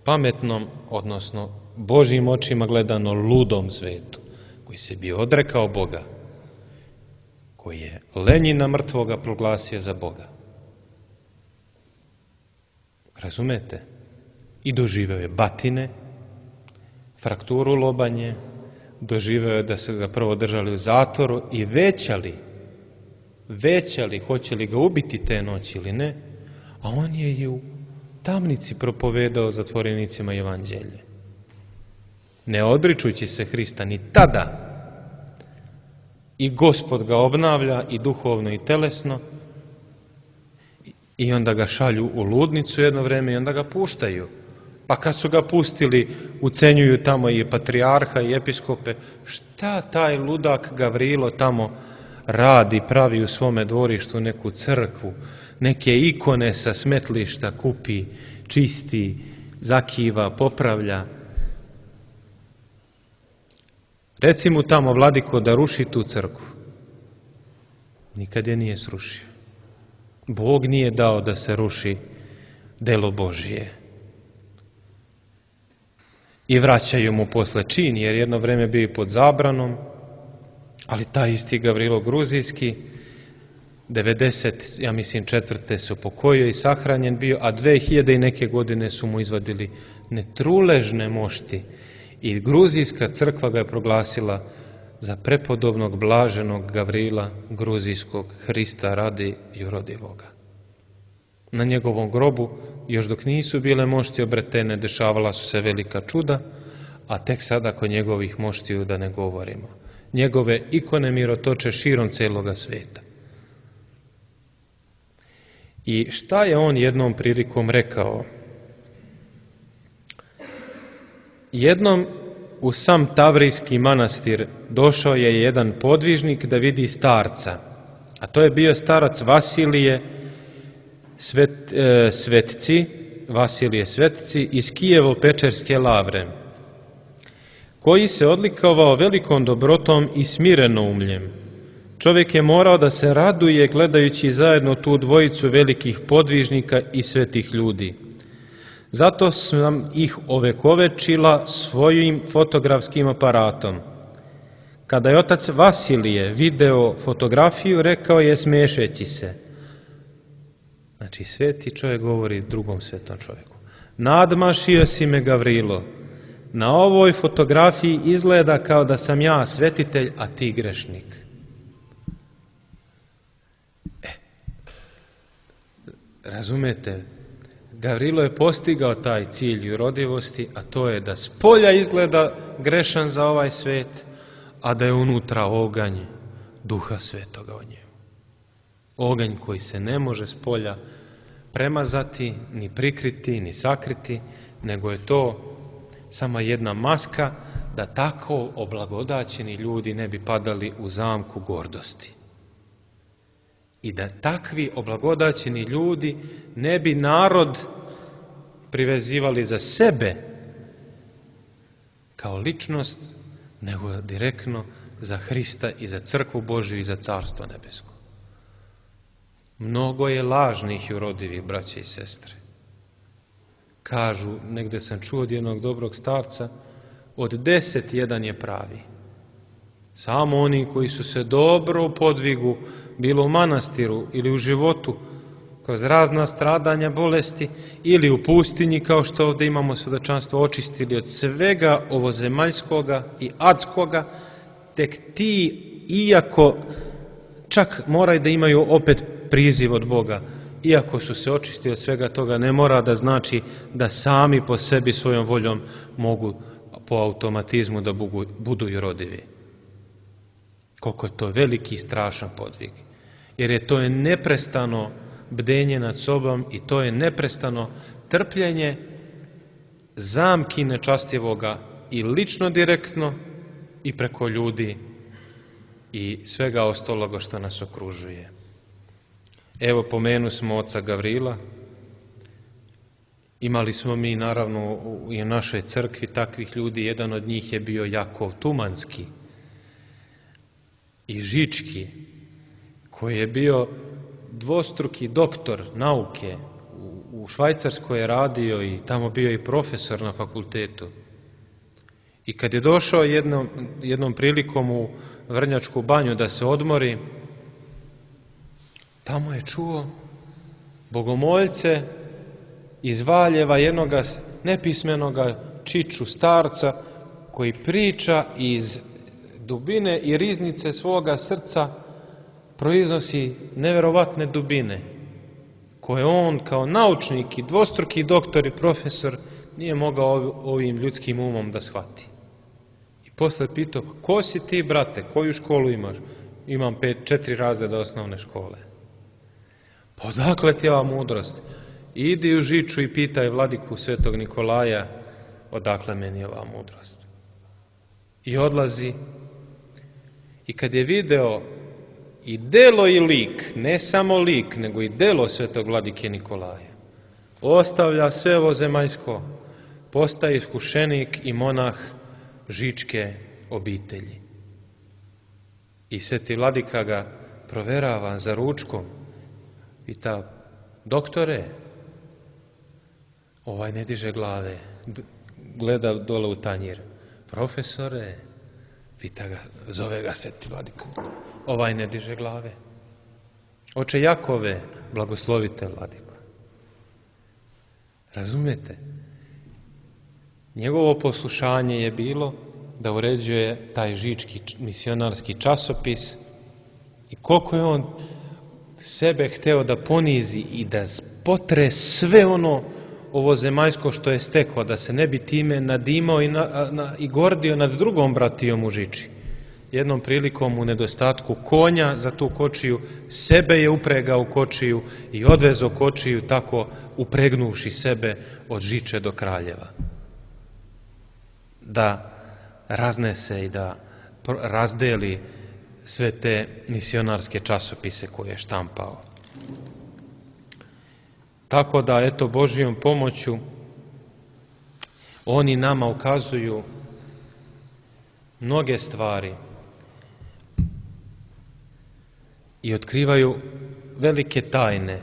pametnom, odnosno Božjim očima gledano ludom svetu, koji se bi odrekao Boga, koji je Lenjina mrtvoga proglasio za Boga. Razumete? I doživeo je batine, frakturu lobanje, doživeo je da su ga prvo držali u zatvoru i većali, većali hoće li ga ubiti te noći ili ne, a on je i u tamnici propovedao zatvorenicima evanđelje. Ne odričujući se Hrista ni tada, i Gospod ga obnavlja i duhovno i telesno, i onda ga šalju u ludnicu jedno vreme i onda ga puštaju. Pa kad su ga pustili, ucenjuju tamo i patrijarha i episkope, šta taj ludak Gavrilo tamo radi, pravi u svome dvorištu neku crkvu, neke ikone sa smetlišta kupi, čisti, zakiva, popravlja. Reci mu tamo, vladiko, da ruši tu crkvu. Nikad je nije srušio. Bog nije dao da se ruši delo Božije. I vraćaju mu posle čin, jer jedno vreme bio pod zabranom, ali taj isti Gavrilo Gruzijski, devedeset, ja mislim, četvrte se upokojio i sahranjen bio, a dve hiljade i neke godine su mu izvadili netruležne mošti i Gruzijska crkva ga je proglasila za prepodobnog blaženog Gavrila Gruzijskog, Hrista radi jurodivoga. Na njegovom grobu, još dok nisu bile mošti obretene, dešavala su se velika čuda, a tek sada kod njegovih moštiju da ne govorimo. Njegove ikone mirotoče širom celoga sveta. I šta je on jednom prilikom rekao? Jednom u sam Tavrijski manastir došao je jedan podvižnik da vidi starca, a to je bio starac Vasilije Svet, e, Svetci, Vasilije Svetci iz Kijevo-Pečerske lavre, koji se odlikovao velikom dobrotom i smirenoumljem. Čovjek je morao da se raduje gledajući zajedno tu dvojicu velikih podvižnika i svetih ljudi. Zato sam ih ovekovečila svojim fotografskim aparatom. Kada je otac Vasilije video fotografiju, rekao je smešeći se. Znači, sveti čovjek govori drugom svetom čovjeku. Nadmašio si me, Gavrilo. Na ovoj fotografiji izgleda kao da sam ja svetitelj, a ti grešnik. E, razumete, Gavrilo je postigao taj cilj jurodivosti, a to je da spolja izgleda grešan za ovaj svet, a da je unutra oganj Duha Svetoga o njemu. Oganj koji se ne može spolja premazati, ni prikriti, ni sakriti, nego je to samo jedna maska da tako oblagodaćeni ljudi ne bi padali u zamku gordosti. I da takvi oblagodaćeni ljudi ne bi narod privezivali za sebe kao ličnost, nego direktno za Hrista i za crkvu Božju i za carstvo nebesko. Mnogo je lažnih jurodivih, braće i sestre. Kažu, negde sam čuo od jednog dobrog starca, od deset jedan je pravi. Samo oni koji su se dobro u podvigu, bilo u manastiru ili u životu, kroz razna stradanja, bolesti, ili u pustinji, kao što ovdje imamo svedočanstvo, očistili od svega ovozemaljskoga i adskoga, tek ti, iako čak moraju da imaju opet priziv od Boga, iako su se očistili od svega toga, ne mora da znači da sami po sebi svojom voljom mogu po automatizmu da budu jurodivi. Koliko je to veliki i strašan podvig. Jer je to je neprestano bdenje nad sobom i to je neprestano trpljenje zamki nečastivoga i lično direktno i preko ljudi i svega ostaloga što nas okružuje. Evo, pomenu smo oca Gavrila. Imali smo mi naravno i u našoj crkvi takvih ljudi. Jedan od njih je bio Jakov Tumanski i Žički, koji je bio dvostruki doktor nauke. U Švajcarskoj je radio i tamo bio i profesor na fakultetu. I kad je došao jednom, jednom prilikom u Vrnjačku banju da se odmori, tamo je čuo bogomoljce iz Valjeva, jednoga nepismenoga čiču starca koji priča iz dubine i riznice svoga srca proiznosi neverovatne dubine koje on kao naučnik i dvostruki doktor i profesor nije mogao ovim ljudskim umom da shvati. I posle pitao, ko si ti, brate, koju školu imaš? Imam pet, četiri razreda osnovne škole. Pa odakle ti ova mudrost? Idi u Žiču i pitaj vladiku Svetog Nikolaja odakle meni ova mudrost. I odlazi. I kad je video i delo i lik, ne samo lik, nego i delo Svetog vladike Nikolaja, ostavlja sve ovo zemaljsko, postaje iskušenik i monah žičke obitelji. I Sveti vladika ga proverava za ručkom. Pita, doktore, ovaj ne diže glave, gleda dole u tanjir. Profesore, pita ga, zove ga Sveti vladika, ovaj ne diže glave. Oče Jakove, blagoslovite vladiko. Razumijete? Njegovo poslušanje je bilo da uređuje taj žički misionarski časopis i koliko je on sebe hteo da ponizi i da potre sve ono ovo zemaljsko što je stekao, da se ne bi time nadimao i, na, na, i gordio nad drugom bratijom u Žiči. Jednom prilikom u nedostatku konja za tu kočiju, sebe je upregao u kočiju i odvezo kočiju tako upregnuvši sebe od Žiče do Kraljeva. Da raznese i da razdeli sve te misionarske časopise koje je štampao. Tako da, eto, Božijom pomoću oni nama ukazuju mnoge stvari i otkrivaju velike tajne.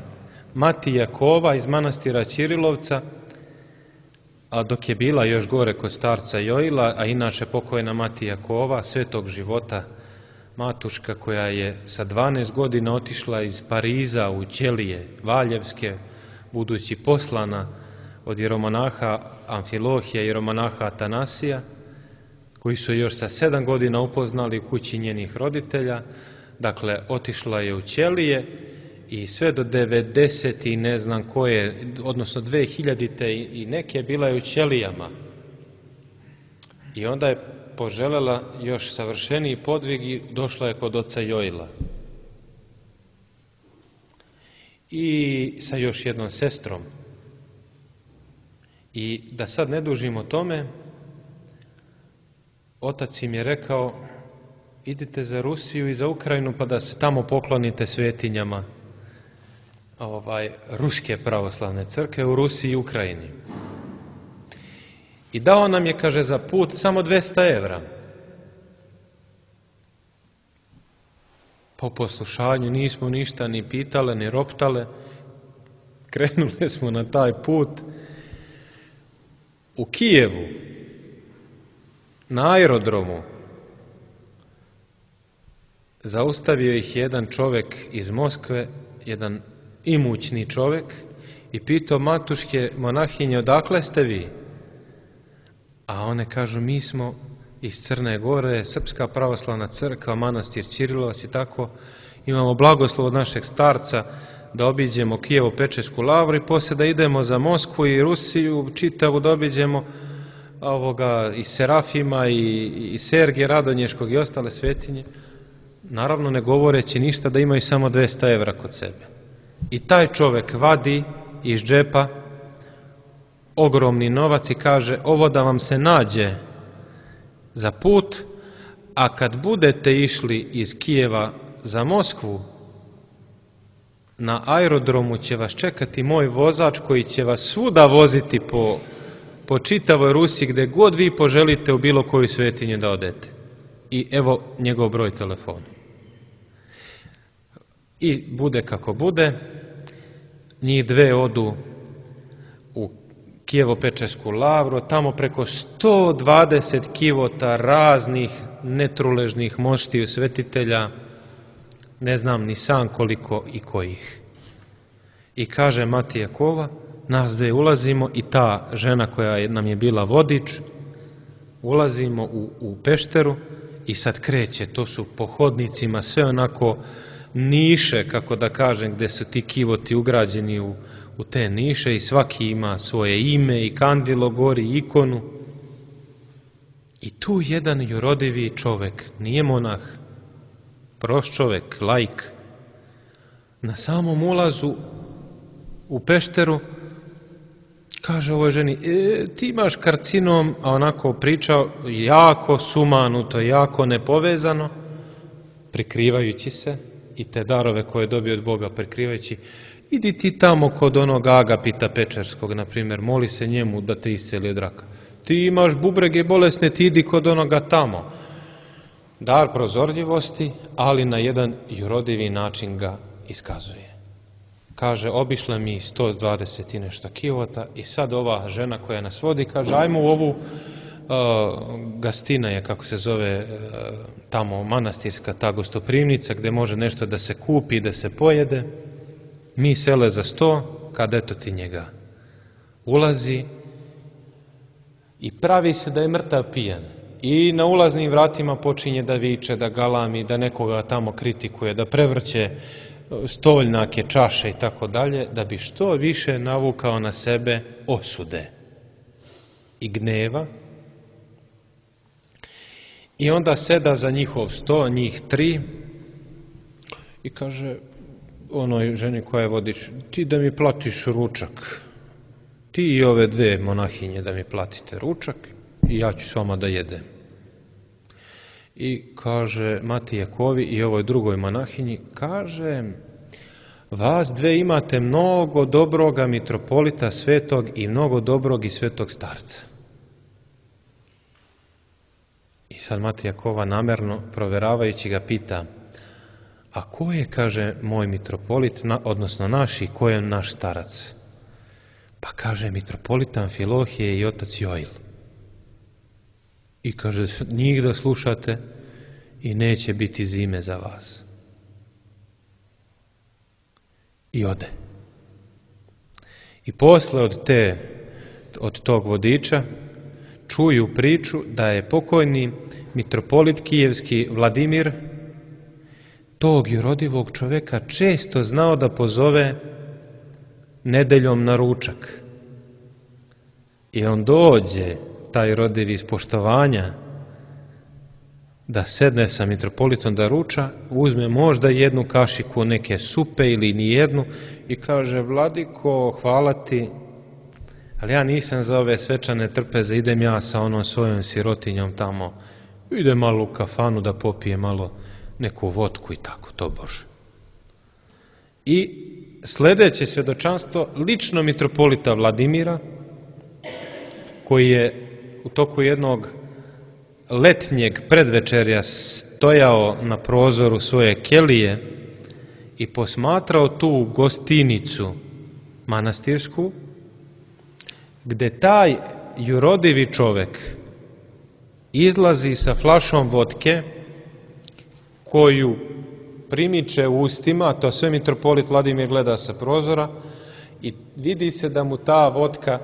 Mati Jakova iz manastira Ćirilovca, a dok je bila još gore kod starca Joila, a inače pokojna Mati Jakova, svetog života, matuška koja je sa dvanaest godina otišla iz Pariza u Ćelije Valjevske, budući poslana od jeromonaha Amfilohija i jeromonaha Atanasija, koji su još sa sedam godina upoznali u kući njenih roditelja. Dakle, otišla je u Ćelije i sve do devedeset i ne znam koje, odnosno dve hiljadite i neke, bila je u Ćelijama. I onda je poželjela još savršeniji podvig i došla je kod oca Joila. I sa još jednom sestrom. I da sad ne dužimo o tome, otac im je rekao, idite za Rusiju i za Ukrajinu pa da se tamo poklonite svetinjama ovaj, Ruske pravoslavne crkve u Rusiji i Ukrajini. I dao nam je, kaže, za put samo dvesta evra. Po poslušanju nismo ništa ni pitale, ni roptale. Krenuli smo na taj put. U Kijevu, na aerodromu, zaustavio ih jedan čovjek iz Moskve, jedan imućni čovjek, i pitao matuške monahinje, odakle ste vi? A one kažu, mi smo iz Crne Gore, Srpska pravoslavna crkva, manastir Ćirilovac i tako. Imamo blagoslov od našeg starca da obiđemo Kijevo-Pečersku lavru i poslije da idemo za Moskvu i Rusiju, čitavu da obiđemo ovoga, i Serafima i, i Sergija Radonješkog i ostale svetinje. Naravno, ne govoreći ništa da imaju samo dvesta evra kod sebe. I taj čovjek vadi iz džepa ogromni novac i kaže ovo da vam se nađe za put, a kad budete išli iz Kijeva za Moskvu, na aerodromu će vas čekati moj vozač koji će vas svuda voziti po, po čitavoj Rusiji gdje god vi poželite u bilo koju svetinju da odete. I evo njegov broj telefona. I bude kako bude, njih dve odu u Kijevo-Pečersku lavru, tamo preko sto dvadeset kivota raznih netruležnih moštiju svetitelja, ne znam ni sam koliko i kojih. I kaže Matija Kova, nas dve ulazimo i ta žena koja nam je bila vodič, ulazimo u, u pešteru i sad kreće, to su po hodnicima sve onako niše, kako da kažem, gdje su ti kivoti ugrađeni u, u te niše i svaki ima svoje ime i kandilo gori, ikonu. I tu jedan jurodivi čovek, nije monah, prost čovek, laik, na samom ulazu u pešteru kaže ovoj ženi, e, ti imaš karcinom, a onako pričao jako sumanuto, jako nepovezano, prikrivajući se i te darove koje je dobio od Boga prikrivajući, idi ti tamo kod onog Agapita Pečerskog, na primjer, moli se njemu da te isceli od raka. Ti imaš bubrege bolesne, ti idi kod onoga tamo. Dar prozorljivosti, ali na jedan jurodivi način ga iskazuje. Kaže, obišla mi sto dvadeset i nešto kivota i sad ova žena koja nas vodi, kaže, ajmo u ovu uh, Gastina je, kako se zove, uh, tamo manastirska ta gostoprimnica gdje može nešto da se kupi, da se pojede. Mi sele za sto, kad eto ti njega ulazi i pravi se da je mrtav pijan. I na ulaznim vratima počinje da viče, da galami, da nekoga tamo kritikuje, da prevrće stoljnake, čaše i tako dalje, da bi što više navukao na sebe osude i gneva. I onda seda za njihov sto, njih tri, i kaže onoj ženi koja je vodič, ti da mi platiš ručak, ti i ove dve monahinje da mi platite ručak i ja ću s vama da jedem. I kaže Matija Kovi i ovoj drugoj monahinji, kaže, vas dve imate mnogo dobroga mitropolita svetog i mnogo dobrog i svetog starca. I sad Matija Kova namerno proveravajući ga pita, a ko je, kaže, moj mitropolit, na, odnosno naš i ko je naš starac? Pa kaže, mitropolit Amfilohije i otac Joil. I kaže, njih da slušate i neće biti zime za vas. I ode. I posle od te, od tog vodiča čuju priču da je pokojni mitropolit kijevski Vladimir tog jurodivog čoveka često znao da pozove nedeljom na ručak. I on dođe, taj rodivi iz poštovanja, da sedne sa mitropolitom da ruča, uzme možda jednu kašiku neke supe ili ni jednu i kaže, Vladiko, hvala ti, ali ja nisam za ove svečane trpeze, idem ja sa onom svojom sirotinjom tamo, idem malo u kafanu da popije malo neku vodku i tako, to Bože. I sljedeće svjedočanstvo lično mitropolita Vladimira, koji je u toku jednog letnjeg predvečerja stojao na prozoru svoje kelije i posmatrao tu gostinicu manastirsku, gde taj jurodivi čovek izlazi sa flašom vodke koju primiče u ustima, to sve mitropolit Vladimir gleda sa prozora i vidi se da mu ta vodka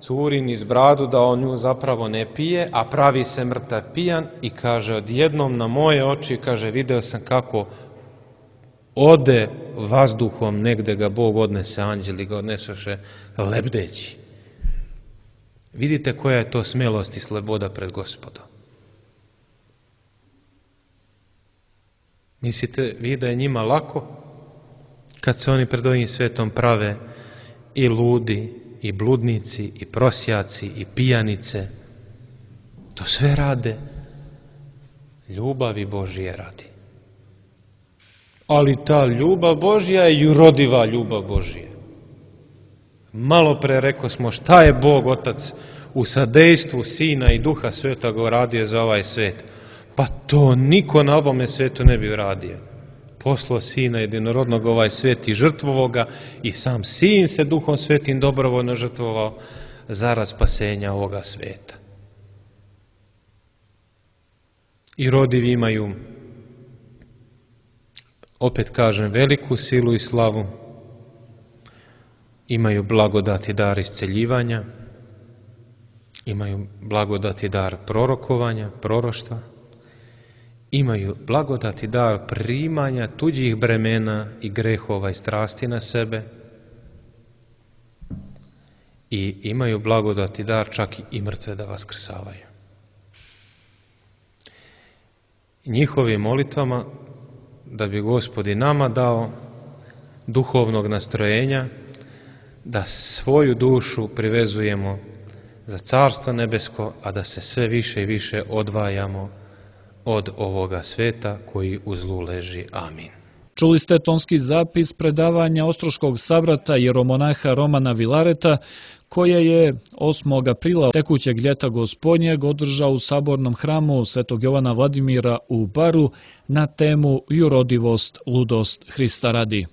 curi niz bradu, da on nju zapravo ne pije, a pravi se mrtav pijan i kaže, odjednom na moje oči, kaže, video sam kako ode vazduhom, negde ga Bog odnese, anđeli ga odnesoše lebdeći. Vidite koja je to smelost i sloboda pred Gospodom. Mislite vi da je njima lako kad se oni pred ovim svetom prave i ludi i bludnici, i prosjaci, i pijanice. To sve rade ljubavi Božije radi. Ali ta ljubav Božja je jurodiva ljubav Božija. Malo pre rekao smo šta je Bog Otac u sadejstvu Sina i Duha Svetoga uradio za ovaj svet. Pa to niko na ovome svetu ne bi uradio. Poslao Sina jedinorodnog ovaj svet i žrtvovao ga i sam Sin se Duhom Svetim dobrovoljno žrtvovao zarad spasenja ovoga sveta. I rodivi imaju, opet kažem, veliku silu i slavu, imaju blagodat i dar isceljivanja, imaju blagodat i dar prorokovanja, proroštva, imaju blagodat i dar primanja tuđih bremena i grehova i strasti na sebe i imaju blagodat i dar čak i mrtve da vaskrsavaju. Njihovim molitvama da bi Gospod i nama dao duhovnog nastrojenja da svoju dušu privezujemo za Carstvo nebesko, a da se sve više i više odvajamo od ovoga sveta koji u zlu leži. Amin. Čuli ste tonski zapis predavanja ostroškog sabrata jeromonaha Romana Vilareta, koje je osmog aprila tekućeg ljeta Gospodnjeg održao u sabornom hramu Svetog Jovana Vladimira u Baru na temu Jurodivost, ludost Hrista radi.